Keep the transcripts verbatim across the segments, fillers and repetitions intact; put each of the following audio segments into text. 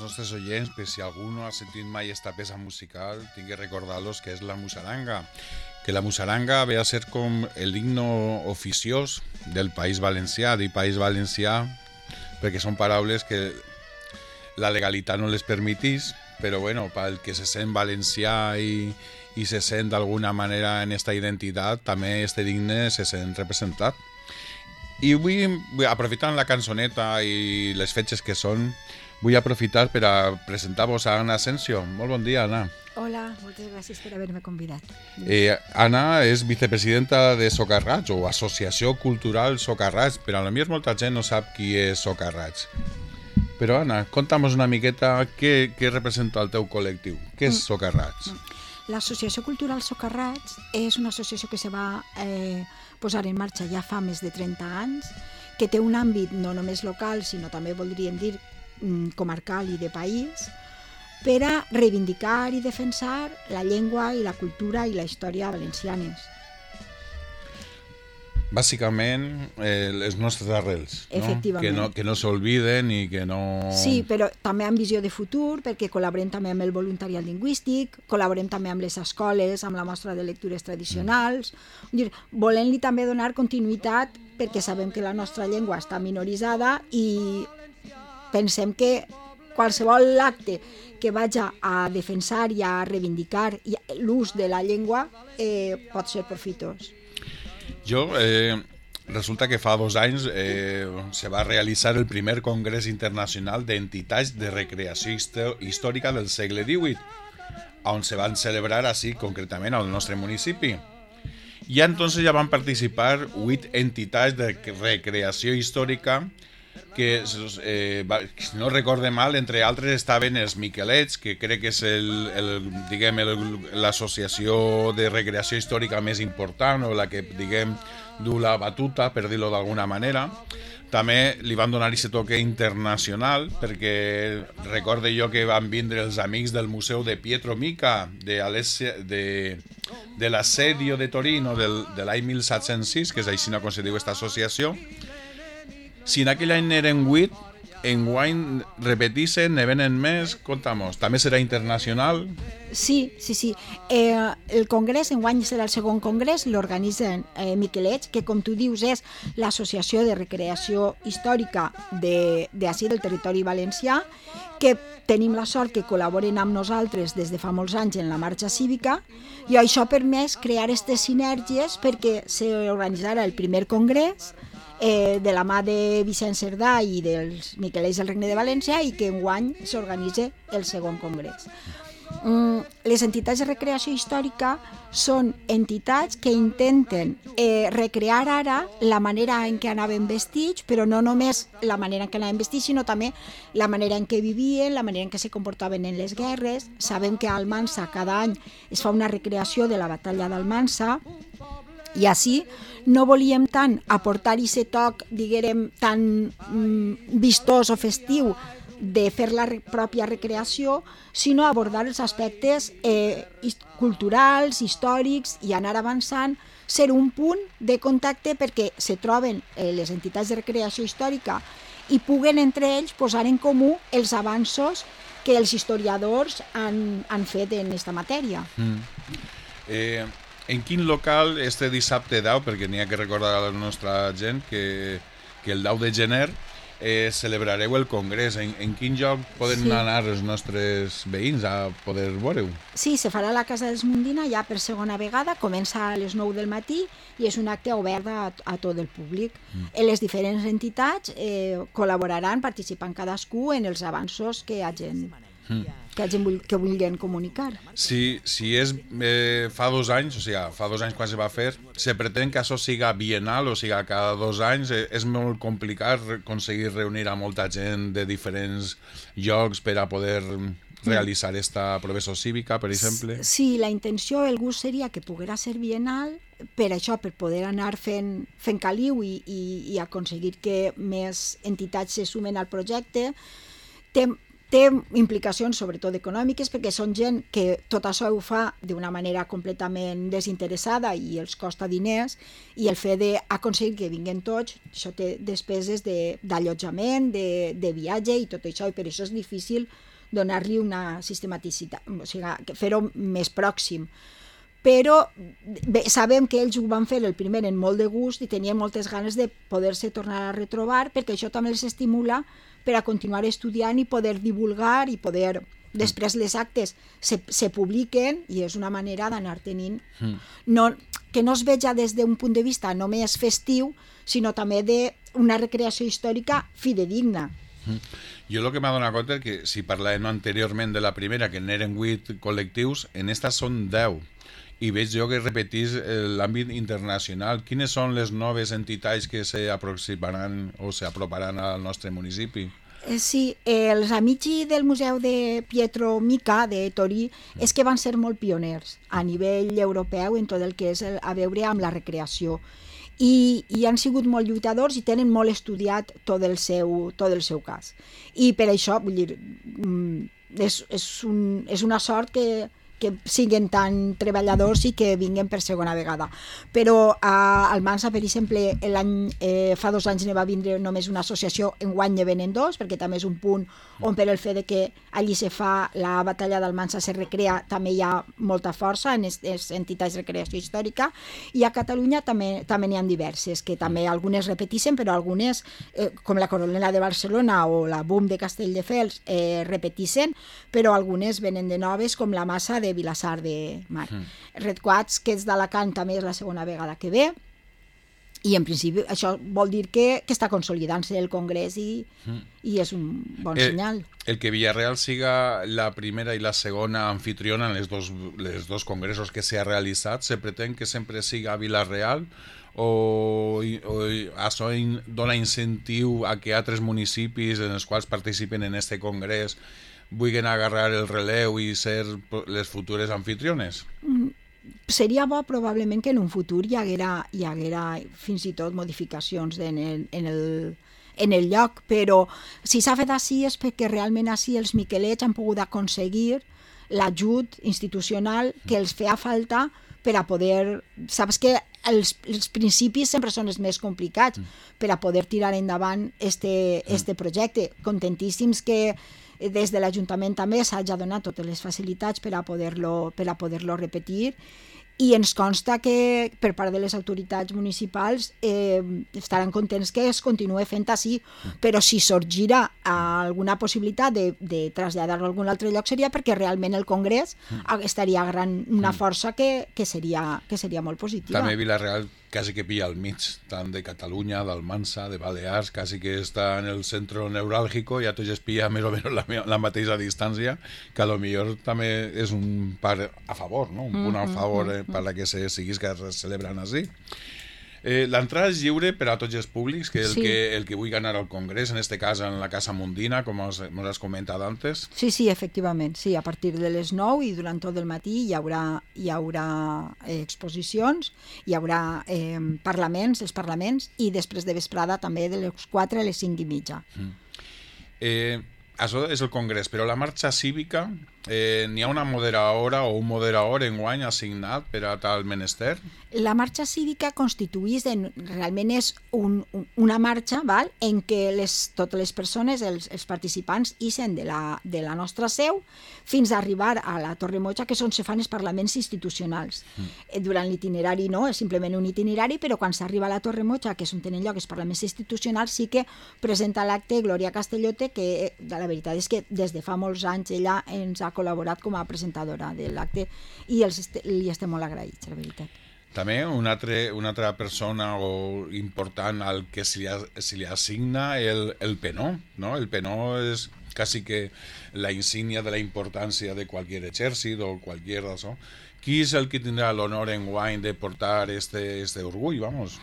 nostres oients, que si algú no ha sentit mai esta peça musical, tinc que recordar-los que és la musaranga, que la musaranga ve a ser com el himno oficiós del País Valencià, del País Valencià, perquè són paraules que la legalitat no les permetís, però bueno, pel que se sent valencià i, i se sent d'alguna manera en esta identitat, també este digne se sent representat. I vull, aprofitant la cançoneta i les fetges que són, vull aprofitar per a presentar-vos a Anna Asensio. Molt bon dia, Anna. Hola, moltes gràcies per haver-me convidat. Eh, Anna és vicepresidenta de Socarrats, o Associació Cultural Socarrats, però a la millor molta gent no sap qui és Socarrats. Però Anna, conta'm una miqueta què, què representa el teu col·lectiu. Què és Socarrats? L'Associació Cultural Socarrats és una associació que se va eh, posar en marxa ja fa més de trenta anys, que té un àmbit no només local, sinó també voldríem dir comarcal i de país, per a reivindicar i defensar la llengua i la cultura i la història valencianes. Bàsicament, eh, les nostres arrels, no? Efectivament. Que no, que no s'olviden i que no... Sí, però també amb visió de futur, perquè col·laborem també amb el voluntariat lingüístic, col·laborem també amb les escoles, amb la mostra de lectures tradicionals, mm. volent-li també donar continuïtat, perquè sabem que la nostra llengua està minoritzada i pensem que qualsevol acte que vagi a defensar i a reivindicar l'ús de la llengua eh, pot ser profitós. Jo, eh, resulta que fa dos anys eh, se va realitzar el primer Congrés Internacional d'Entitats de Recreació Històrica del segle divuit, on se van celebrar així concretament al nostre municipi. I entonces ja van participar vuit entitats de recreació històrica que, eh, si no recorde mal, entre altres estaven els Miquelets, que crec que és el, el, diguem, l'associació de recreació històrica més important, o la que, diguem, du la batuta, per dir-ho d'alguna manera. També li van donar aquest toque internacional, perquè recorde jo que van vindre els amics del Museu de Pietro Mica, de, de, de l'assedio de Torino del, de l'any mil set-cents sis, que és així com se diu aquesta associació. Si en aquell any n'eren vuit, enguany repetixen, ne venen més, conta'm-nos. També serà internacional? Sí, sí, sí. Eh, el congrés, enguany serà el segon congrés, l'organitzen eh, Miquelets, que com tu dius és l'associació de recreació històrica d'ací del territori valencià, que tenim la sort que col·laboren amb nosaltres des de fa molts anys en la marxa cívica, i això ha permès crear aquestes sinergies perquè s'organitzara el primer congrés Eh, de la mà de Vicent Cerdà i dels Miquelets del Regne de València, i que enguany s'organitza el segon congrés. Mm, les entitats de recreació històrica són entitats que intenten eh, recrear ara la manera en què anaven vestits, però no només la manera en què anaven vestits, sinó també la manera en què vivien, la manera en què se comportaven en les guerres. Sabem que a Almansa cada any es fa una recreació de la batalla d'Almansa, i així no volíem tant aportar aquest toc, diguem, tan mm, vistós o festiu de fer la re- pròpia recreació, sinó abordar els aspectes eh, culturals, històrics, i anar avançant, ser un punt de contacte perquè se troben eh, les entitats de recreació històrica i puguen entre ells posar en comú els avanços que els historiadors han, han fet en aquesta matèria. Mm. Eh... En quin local este dissabte deu, perquè n'hi ha que recordar a la nostra gent que, que el deu de gener eh, celebrareu el congrés. En, en quin lloc poden sí. anar els nostres veïns a poder veure-ho? Sí, se farà a la Casa dels Mundina ja per segona vegada, comença a les nou del matí i és un acte obert a, a tot el públic. Mm. Les diferents entitats eh, col·laboraran, participant cadascú en els avanços que hagin... Mm. que hagin que vulguin comunicar. Si, si és eh, fa dos anys, o sigui, fa dos anys quan se va fer, se pretén que això siga bienal, o sigui, cada dos anys, eh, és molt complicat aconseguir reunir a molta gent de diferents llocs per a poder realitzar esta professor cívica, per exemple. Sí, la intenció, el gust seria que poguera ser bienal, per això, per poder anar fent, fent caliu i, i, i aconseguir que més entitats se sumen al projecte. Té Té implicacions sobretot econòmiques, perquè són gent que tot això ho fa d'una manera completament desinteressada i els costa diners, i el fet d'aconseguir que vinguin tots, això té despeses d'allotjament, de, de viatge i tot això, i per això és difícil donar-li una sistematicitat, o sigui, fer-ho més pròxim. Però bé, sabem que ells ho van fer el primer en molt de gust i tenien moltes ganes de poder-se tornar a retrobar, perquè això també els estimula per a continuar estudiant i poder divulgar i poder... Després les actes se, se publiquen i és una manera d'anar tenint... Mm. No, que no es veja des d'un punt de vista només festiu, sinó també d'una recreació històrica fidedigna. Mm. Jo el que m'ha donat compte és que si parlàvem anteriorment de la primera, que n'eren vuit col·lectius, en esta són deu. I veig jo que repetís l'àmbit internacional. Quines són les noves entitats que s'aproximaran o s'aproparan al nostre municipi? Sí, els amici del Museu de Pietro Mica, de Torí, és que van ser molt pioners a nivell europeu en tot el que és a veure amb la recreació. I, i han sigut molt lluitadors i tenen molt estudiat tot el seu, tot el seu cas. I per això, vull dir, és, és, un, és una sort que... que siguin tan treballadors i que vinguin per segona vegada. Però a Almansa, per exemple, eh, fa dos anys ne va vindre només una associació, enguany ne venen dos, perquè també és un punt on per el fet de que allí se fa la batalla d'Almansa se recrea, també hi ha molta força en les entitats de recreació històrica, i a Catalunya també també n'hi ha diverses, que també algunes repeteixen, però algunes, eh, com la Coronela de Barcelona o la B U M de Castelldefels, eh, repeteixen, però algunes venen de noves, com la Massa de Vilassar de Mar. Mm. Red Quads, que és d'Alacant, també és la segona vegada que ve, i en principi això vol dir que, que està consolidant-se el Congrés i, mm. i és un bon el, senyal. El que Villarreal siga la primera i la segona anfitriona en els dos, les dos congressos que s'ha realitzat, se pretén que sempre siga Villarreal o, o això dona incentiu a que altres municipis en els quals participen en este congrés vulguin agarrar el relleu i ser les futures anfitriones? Mm, seria bo probablement que en un futur hi haguera, hi haguera fins i tot modificacions en el, en el, en el lloc, però si s'ha fet així és perquè realment així els miquelets han pogut aconseguir l'ajut institucional que els feia falta per a poder... Saps que els, els principis sempre són els més complicats per a poder tirar endavant este, este projecte. Contentíssims que des de l'Ajuntament també s'hagi donat totes les facilitats per a poder-lo per a poder-lo repetir, i ens consta que per part de les autoritats municipals eh, estaran contents que es continuï fent així, però si sorgirà alguna possibilitat de, de traslladar-lo a algun altre lloc seria perquè realment el Congrés estaria agarrant una força que, que, seria, que seria molt positiva. També Villarreal quasi que pilla al mig, tant de Catalunya, d'Almansa, de Balears, quasi que està en el centre neuràlgico, ja tots es pilla més o menys la, la mateixa distància, que a lo millor també és un part a favor, no? Un punt a favor eh, per a que se siguis que es celebren així. Eh, L'entrada és lliure per a tots els públics, que el, sí. que el que vulgui anar al Congrés, en este cas en la Casa Mundina, com us, us has comentat antes. Sí, sí, efectivament, sí, a partir de les nou i durant tot el matí hi haurà, hi haurà eh, exposicions, hi haurà eh, parlaments, els parlaments, i després de vesprada també de les quatre a les cinc i mitja. Mm. Eh, això és el Congrés, però la marxa cívica, eh, n'hi ha una moderadora o un moderador enguany assignat per a tal menester? La marxa cívica constituïs, en, realment és un, un, una marxa val, en què les, totes les persones, els, els participants, ixen de la, de la nostra seu fins a arribar a la Torre Moja, que és on se fan els parlaments institucionals. Mm. Durant l'itinerari no, és simplement un itinerari, però quan s'arriba a la Torre Moja, que és on tenen lloc els parlaments institucionals, sí que presenta l'acte Glòria Castellote, que la veritat és que des de fa molts anys ella ens ha col·laborat com a presentadora de l'acte i els, li estem molt agraïts, la veritat. També una altra, una altra persona o important al que se li, se li assigna el, el penó, ¿no? El penó és quasi que la insígnia de la importància de qualsevol exèrcit o qualsevol d'això. Qui és el que tindrà l'honor enguany de portar este, este orgull, vamos?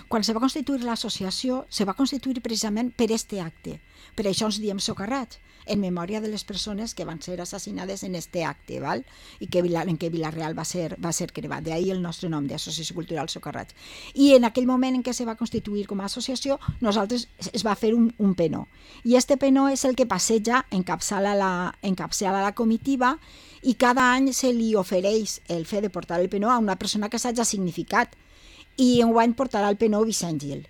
Quan se va constituir l'associació, se va constituir precisament per este acte. Per això ens diem socarrats, en memòria de les persones que van ser assassinades en este acte, val? I que, en què Villarreal va ser, va ser crevat. D'ahir el nostre nom d'Associació Cultural Socarrats. I en aquell moment en què se va constituir com a associació, nosaltres es va fer un, un penó. I este penó és el que passeja, encapçala la, encapçala la comitiva, i cada any se li ofereix el fet de portar el penó a una persona que s'hagi significat. i enguany portarà el P nou Vicent Gil,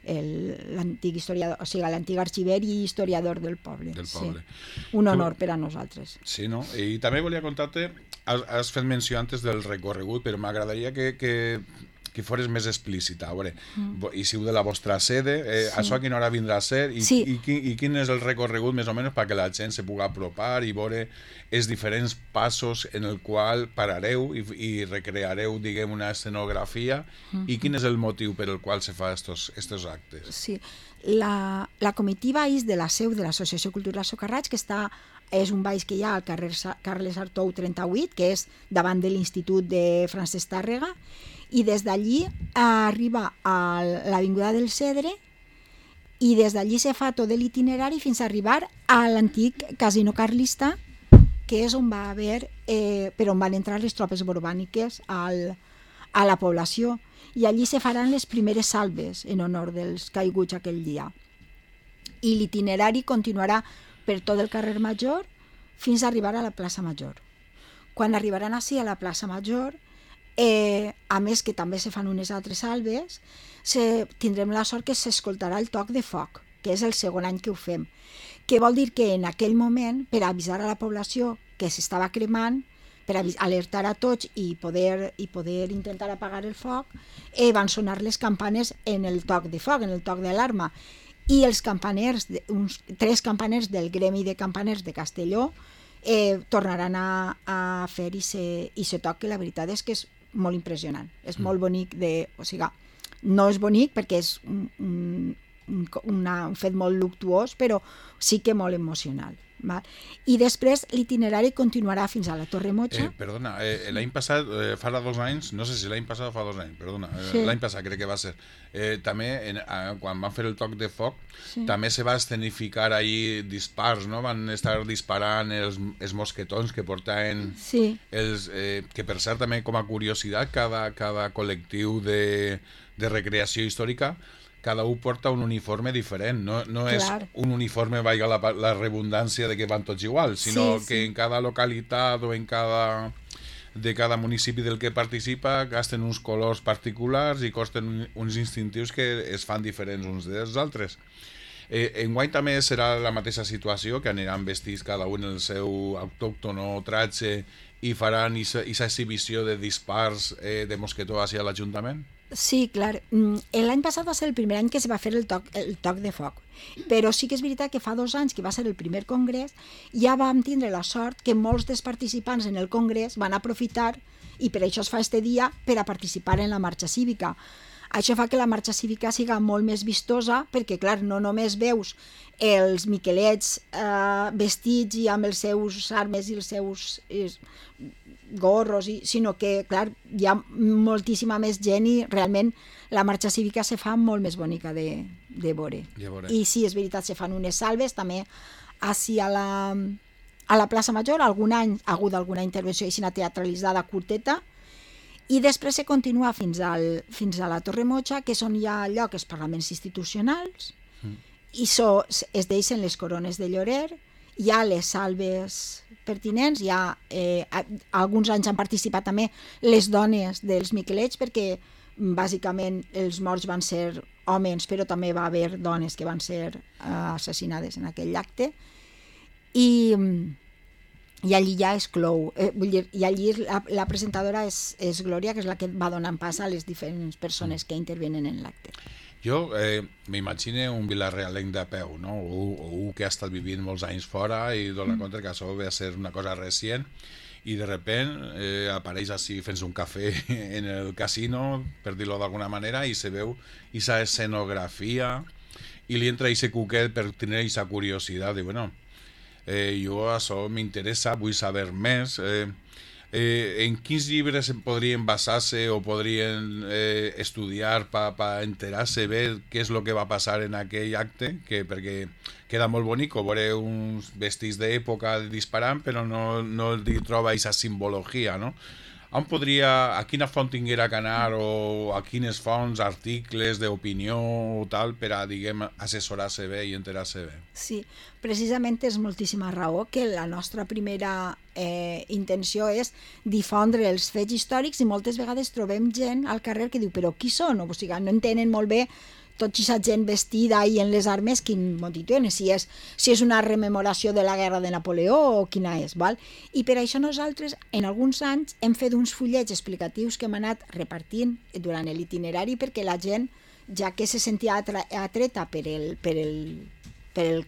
l'antic historiador, o sigui, l'antic arxiver i historiador del poble. Del poble. Sí. Un honor per a nosaltres. Sí, no? I també volia contar-te, has, has fet menció antes del recorregut, però m'agradaria que, que, que fores més explícita. A veure, mm. i siu de la vostra sede, eh, sí. Això a quina hora vindrà a ser i, sí. i, i, i quin és el recorregut més o menys perquè la gent se pugui apropar i veure els diferents passos en el qual parareu i, i recreareu, diguem, una escenografia mm. i quin és el motiu per el qual se fa estos, estos actes. Sí, la, la comitiva és de la seu de l'Associació Cultural Socarrats, que està, és un baix que hi ha al carrer Carles Artou trenta-vuit, que és davant de l'Institut de Francesc Tàrrega, i des d'allí arriba a l'Avinguda del Cedre i des d'allí se fa tot l'itinerari fins a arribar a l'antic casino carlista, que és on va haver, eh, per on van entrar les tropes borbàniques al, a la població, i allí se faran les primeres salves en honor dels caiguts aquell dia. I l'itinerari continuarà per tot el carrer Major fins a arribar a la plaça Major. Quan arribaran així a la plaça Major, Eh, a més que també se fan unes altres salves, se, tindrem la sort que s'escoltarà el toc de foc, que és el segon any que ho fem, que vol dir que en aquell moment, per avisar a la població que s'estava cremant, per alertar a tots i poder, i poder intentar apagar el foc, eh, van sonar les campanes en el toc de foc, en el toc d'alarma, i els campaners, uns tres campaners del gremi de campaners de Castelló, eh, tornaran a, a fer i se, i se toc, que la veritat és que és molt impressionant, és molt bonic de, o sigui, no és bonic perquè és un, un, una, un fet molt luctuós, però sí que molt emocional. Val? I després l'itinerari continuarà fins a la Torre Mocha. Eh, perdona, eh, l'any passat, eh, fa dos anys, no sé si l'any passat o fa dos anys, perdona, eh, sí. l'any passat crec que va ser, eh, també en, eh, quan van fer el toc de foc, sí. també se va escenificar ahí dispars, no? Van estar disparant els, els mosquetons que portaven, sí. els, eh, que per cert també com a curiositat, cada, cada col·lectiu de, de recreació històrica cada un porta un uniforme diferent, no, no és un uniforme, valga la, la redundància de que van tots igual, sinó sí, sí. que en cada localitat o en cada, de cada municipi del que participa gasten uns colors particulars i costen uns instintius que es fan diferents uns dels altres. Eh, enguany també serà la mateixa situació, que aniran vestits cada un en el seu autòctono tratge i faran aquesta exhibició de dispars eh, de mosquetó hacia l'Ajuntament? Sí, clar. L'any passat va ser el primer any que es va fer el toc, el toc de foc, però sí que és veritat que fa dos anys, que va ser el primer congrés, ja vam tindre la sort que molts dels participants en el congrés van aprofitar, i per això es fa este dia, per a participar en la marxa cívica. Això fa que la marxa cívica siga molt més vistosa, perquè, clar, no només veus els miquelets eh, vestits i amb els seus armes i els seus eh, gorros, i, sinó que, clar, hi ha moltíssima més gent i realment la marxa cívica se fa molt més bonica de, de veure. I sí, és veritat, se fan unes salves, també així a la, a la plaça Major, algun any ha hagut alguna intervenció així teatralitzada curteta, i després se continua fins, al, fins a la Torre Mocha, que és on hi ha lloc els parlaments institucionals, mm. i so, es deixen les corones de llorer, hi ha les salves pertinents, hi ha, eh, alguns anys han participat també les dones dels miquelets, perquè bàsicament els morts van ser homes, però també va haver dones que van ser eh, assassinades en aquell acte, i... i allí ja es clou, eh, vull dir, i allí la, la presentadora és, és Glòria, que és la que va donant pas a les diferents persones que intervenen en l'acte. Jo eh, m'imagino un vilarrealenc de peu, no? O, o un que ha estat vivint molts anys fora i dona mm. compte que això ve a ser una cosa recient i de repent eh, apareix així fent un cafè en el casino, per dir-ho d'alguna manera, i se veu aquesta escenografia i li entra aquest cuquet per tenir aquesta curiositat de, bueno, Eh, jo això m'interessa, vull saber més. Eh, eh, en quins llibres podrien basar-se o podrien eh, estudiar per pa enterar-se bé què és el que va passar en aquell acte, que, perquè queda molt bonic veure uns vestits d'època disparant, però no, no li troba aquesta simbologia, no? on podria, a quina font tinguera que anar o a quines fonts, articles d'opinió o tal per a, diguem, assessorar-se bé i enterar-se bé? Sí, precisament és moltíssima raó que la nostra primera eh, intenció és difondre els fets històrics i moltes vegades trobem gent al carrer que diu però qui són? O sigui, no entenen molt bé tota aquesta gent vestida i en les armes, quin motiu tenen, si és, si és una rememoració de la guerra de Napoleó o quina és, val? I per això nosaltres, en alguns anys, hem fet uns fullets explicatius que hem anat repartint durant l'itinerari perquè la gent, ja que se sentia atreta per, el, per, el, per el,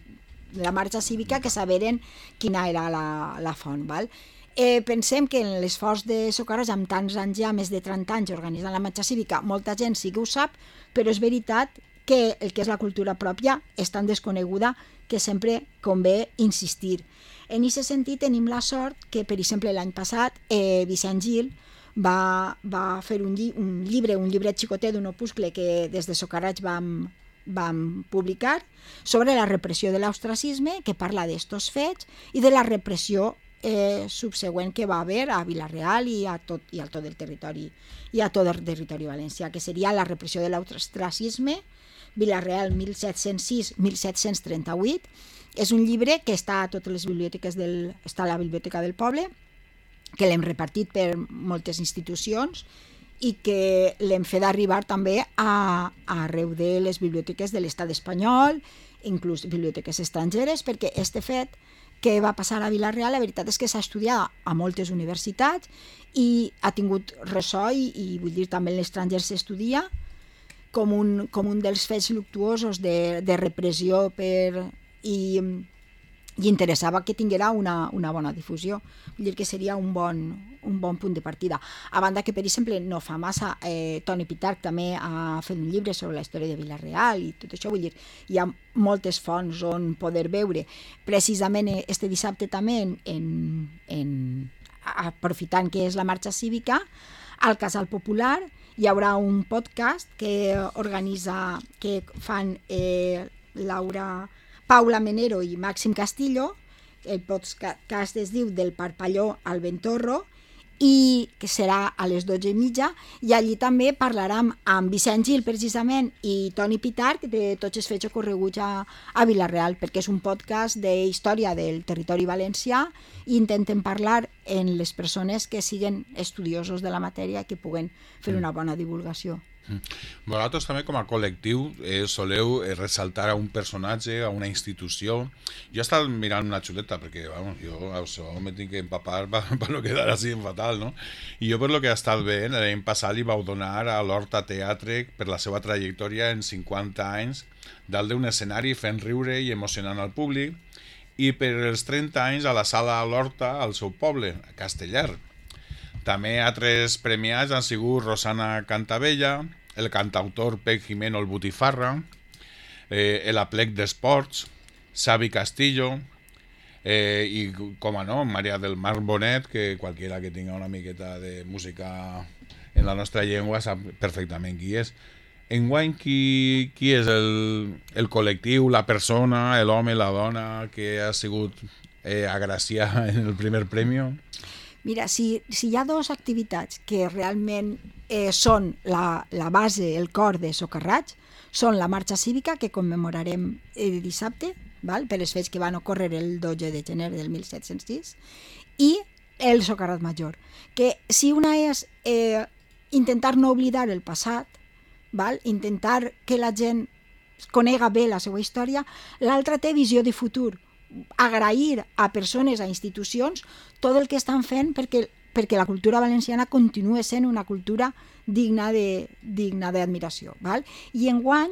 la marxa cívica, que saberen quina era la, la font, val? Eh, pensem que en l'esforç de Socarrats, amb tants anys ja, més de trenta anys organitzant la marxa cívica, molta gent sí que ho sap, però és veritat que el que és la cultura pròpia és tan desconeguda que sempre convé insistir. En aquest sentit tenim la sort que, per exemple, l'any passat eh, Vicent Gil va, va fer un, lli un llibre, un llibret xicotet d'un opuscle que des de Socarrats vam, vam publicar sobre la repressió de l'ostracisme, que parla d'estos fets i de la repressió Eh, subsegüent que va haver a Vila-real i a tot, i a tot el territori i a tot el territori valencià, que seria la repressió de l'ostracisme, Vila-real mil set-cents sis a mil set-cents trenta-vuit. És un llibre que està a totes les biblioteques del, està a la biblioteca del poble, que l'hem repartit per moltes institucions i que l'hem fet arribar també a, a arreu de les biblioteques de l'estat espanyol, inclús biblioteques estrangeres, perquè este fet que va passar a Vila-real, la veritat és que s'ha estudiat a moltes universitats i ha tingut ressò i, i vull dir, també en l'estranger s'estudia com un, com un dels fets luctuosos de, de repressió per, i, i interessava que tinguera una, una bona difusió. Vull dir que seria un bon, un bon punt de partida. A banda que, per exemple, no fa massa, eh, Toni Pitarch també ha fet un llibre sobre la història de Vila-real i tot això, vull dir, hi ha moltes fonts on poder veure. Precisament este dissabte també, en, en, en, aprofitant que és la marxa cívica, al Casal Popular hi haurà un podcast que organitza, que fan eh, Laura, Paula Menero i Màxim Castillo. El podcast es diu Del Parpalló al Ventorro i que serà a les dotze i mitja, i allí també parlarem amb Vicent Gil precisament i Toni Pitarch de tots els fets ocorreguts a, a Vila-real, perquè és un podcast de història del territori valencià i intentem parlar en les persones que siguen estudiosos de la matèria i que puguen fer una bona divulgació. Vosaltres també com a col·lectiu eh, soleu eh, ressaltar a un personatge, a una institució. Jo he estat mirant una xuleta perquè bueno, jo això me tinc que empapar per, per no quedar així fatal, no? I jo per lo que he estat veient, l'any passat li vau donar a l'Horta Teatre per la seva trajectòria en cinquanta anys dalt d'un escenari fent riure i emocionant al públic, i per els trenta anys a la sala l'Horta al seu poble, a Castellar. També altres premiats han sigut Rosana Cantabella, el cantautor Pec Jimeno el Botifarra, eh, el Aplec d'Esports, Xavi Castillo, eh, i com a no, Maria del Mar Bonet, que qualquiera que tinga una miqueta de música en la nostra llengua sap perfectament qui és. Enguany, qui, qui és el, el col·lectiu, la persona, l'home, la dona que ha sigut eh, agraciada en el primer premi? Mira, si, si hi ha dues activitats que realment eh, són la, la base, el cor de Socarrats, són la marxa cívica, que commemorarem eh, dissabte, val? Per els fets que van ocórrer el dotze de gener del mil set-cents sis, i el Socarrat Major, que si una és eh, intentar no oblidar el passat, val? Intentar que la gent conega bé la seva història, l'altra té visió de futur, agrair a persones, a institucions, tot el que estan fent perquè, perquè la cultura valenciana continua sent una cultura digna de digna d'admiració. Val? I enguany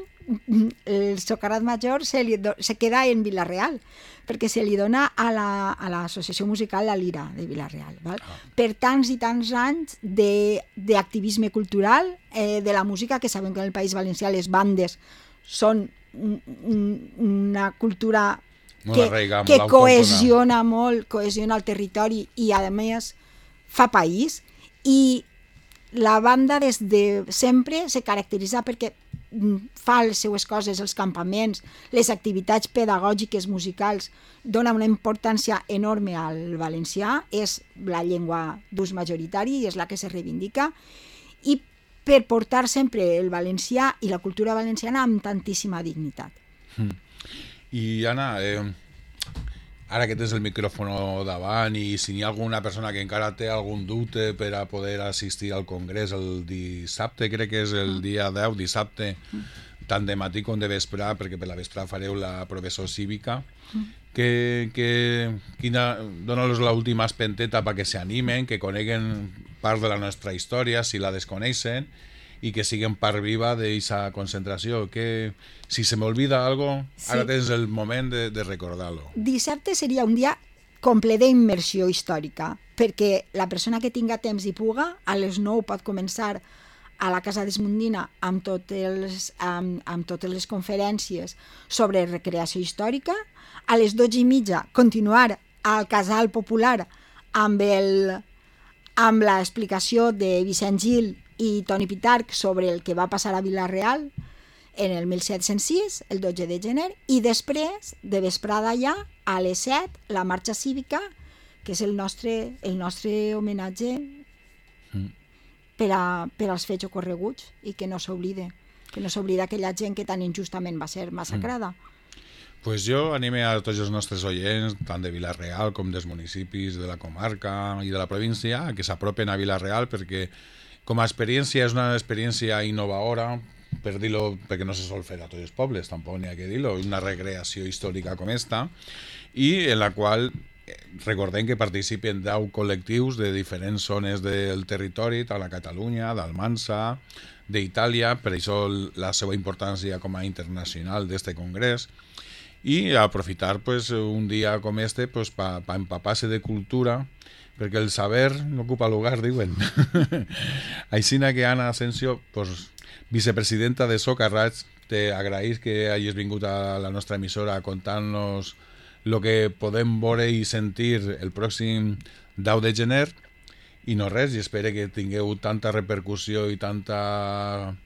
el Socarrat Major se, li do, se queda en Vila-real, perquè se li dona a l'Associació la, a Musical La Lira de Vila-real. Val? Ah. Per tants i tants anys d'activisme cultural, eh, de la música, que sabem que en el País Valencià les bandes són un, un, una cultura que, que cohesiona molt, cohesiona el territori i a més fa país, i la banda des de sempre se caracteritza perquè fa les seues coses, els campaments, les activitats pedagògiques, musicals, dona una importància enorme al valencià, és la llengua d'ús majoritari i és la que se reivindica, i per portar sempre el valencià i la cultura valenciana amb tantíssima dignitat. Mm. I Anna, eh, ara que tens el micròfon davant i si hi ha alguna persona que encara té algun dubte per a poder assistir al congrés el dissabte, crec que és el dia deu, dissabte, tant de matí com de vesprà, perquè per la vesprà fareu la professor cívica, que, que quina, dona-los l'última espenteta perquè s'animen, que coneguen part de la nostra història, si la desconeixen, i que siguin part viva d'aquesta concentració, que si se m'olvida algo, sí. Ara tens el moment de, de recordar-lo. Dissabte seria un dia comple d'immersió històrica, perquè la persona que tinga temps i puga, a les nou pot començar a la Casa d'Esmundina amb, tot els, amb, amb totes les conferències sobre recreació històrica, a les dotze i mitja continuar al Casal Popular amb, el, amb l'explicació de Vicent Gil i Toni Pitarch sobre el que va passar a Vila-real en el mil set-cents sis, el dotze de gener, i després, de vesprada ja, a les set, la marxa cívica, que és el nostre, el nostre homenatge mm. per, a, per als fets ocorreguts i que no s'oblide, que no s'oblida aquella gent que tan injustament va ser massacrada. Mm. Pues jo anime a tots els nostres oients, tant de Vila-real com dels municipis de la comarca i de la província, que s'apropen a Vila-real perquè com a experiència és una experiència innovadora, per dir-lo, perquè no se sol fer a tots els pobles, tampoc n'hi ha que dir-lo, una recreació històrica com esta, i en la qual recordem que participen deu col·lectius de diferents zones del territori, tant a Catalunya, d'Almansa, d'Itàlia, per això la seva importància com a internacional d'este congrés, i aprofitar pues, un dia com este pues, per pa empapar-se de cultura, perquè el saber no ocupa lugar, diuen. Aixina que Anna Asensio, pues, vicepresidenta de Socarrats, te agraïs que hagis vingut a la nostra emissora a contar-nos el que podem veure i sentir el pròxim deu de gener, i no res, i espero que tingueu tanta repercussió i tanta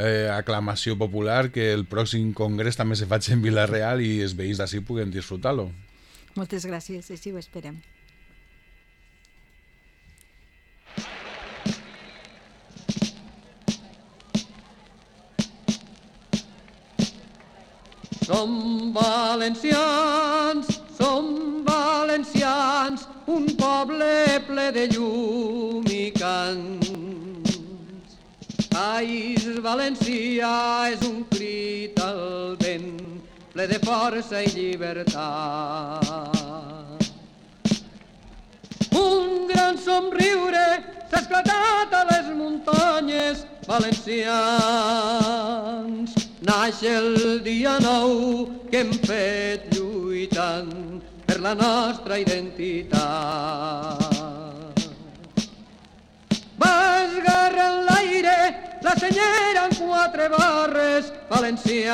eh, aclamació popular que el pròxim congrés també se faci en Vila-real i els veïns d'ací puguen disfrutar-lo. Moltes gràcies, així ho esperem. Som valencians, som valencians, un poble ple de llum i cants. País valencià és un crit al vent, ple de força i llibertat. Un gran somriure s'ha esclatat a les muntanyes valencians. Naix el dia nou que hem fet lluitant per la nostra identitat. Va esgarrar en l'aire la senyera en quatre barres valencians.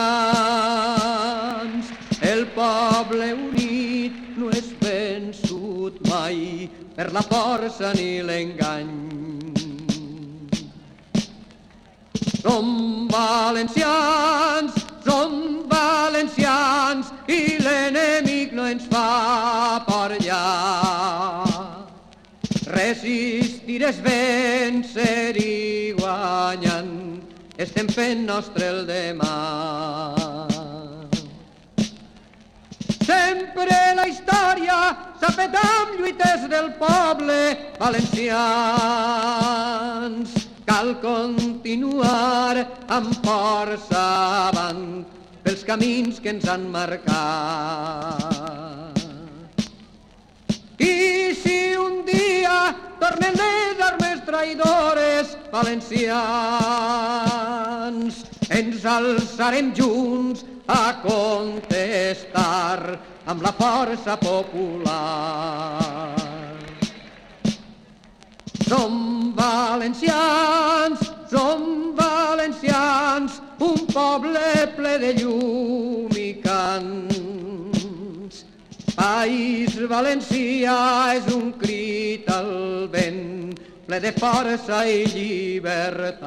El poble unit no és vençut mai per la força ni l'engany. Som valencians, som valencians i l'enemic no ens fa por ja. Resistir és vèncer i guanyant, estem fent nostre el demà. Sempre la història s'ha fet amb lluites del poble valencians. Cal continuar amb força avant pels camins que ens han marcat. I si un dia tornen les armes traïdores valencians, ens alçarem junts a contestar amb la força popular. Som valencians, som valencians, un poble ple de llum i cants. País valencià és un crit al vent, ple de força i llibertat.